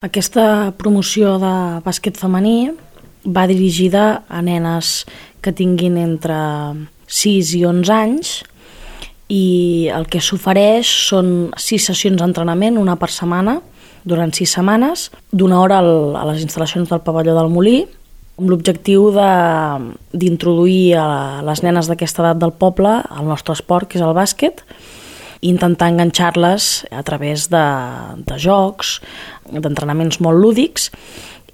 Aquesta promoció de bàsquet femení va dirigida a nenes que tinguin entre 6 i 11 anys i el que s'ofereix són 6 sessions d'entrenament, una per setmana, durant 6 setmanes, d'una hora a les instal·lacions del pavelló del Molí, amb l'objectiu d'introduir a les nenes d'aquesta edat del poble al nostre esport, que és el bàsquet, i intentar enganxar-les a través de jocs, d'entrenaments molt lúdics,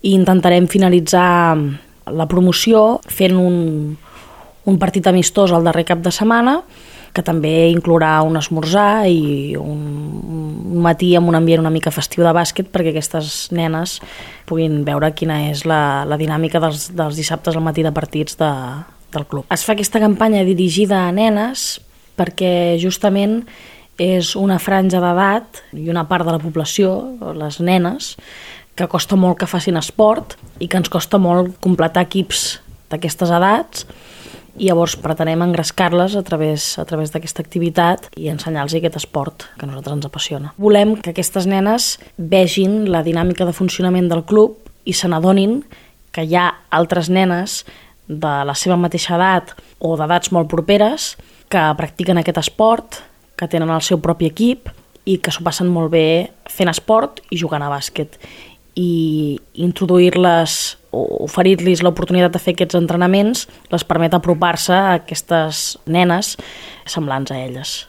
i intentarem finalitzar la promoció fent un partit amistós al darrer cap de setmana, que també inclourà un esmorzar i un matí amb un ambient una mica festiu de bàsquet perquè aquestes nenes puguin veure quina és la dinàmica dels dissabtes al matí de partits del club. Es fa aquesta campanya dirigida a nenes perquè justament és una franja d'edat i una part de la població, les nenes, que costa molt que facin esport i que ens costa molt completar equips d'aquestes edats, i llavors pretenem engrescar-les a través d'aquesta activitat i ensenyar-los aquest esport que a nosaltres ens apassiona. Volem que aquestes nenes vegin la dinàmica de funcionament del club i se n'adonin que hi ha altres nenes de la seva mateixa edat o d'edats molt properes que practiquen aquest esport, que tenen el seu propi equip i que s'ho passen molt bé fent esport i jugant a bàsquet. I introduir-les o oferir-los l'oportunitat de fer aquests entrenaments les permet apropar-se a aquestes nenes semblants a elles.